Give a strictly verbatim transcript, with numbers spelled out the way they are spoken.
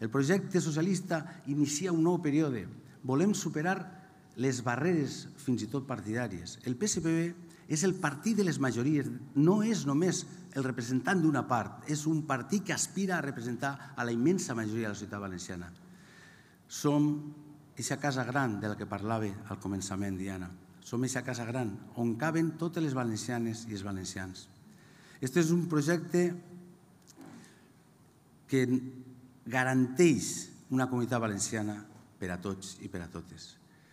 El projecte socialista inicia un nou període. Volem superar les barreres fins i tot partidàries. El P S P B és el partit de les majories, no és només el representant d'una part, és un partit que aspira a representar a la immensa majoria de la societat valenciana. Som aquesta casa gran de la que parlava al començament, Diana. Som aquesta casa gran on caben totes les valencianes i els valencians. Aquest és un projecte que garanteix una comunitat valenciana per a tots i per a totes.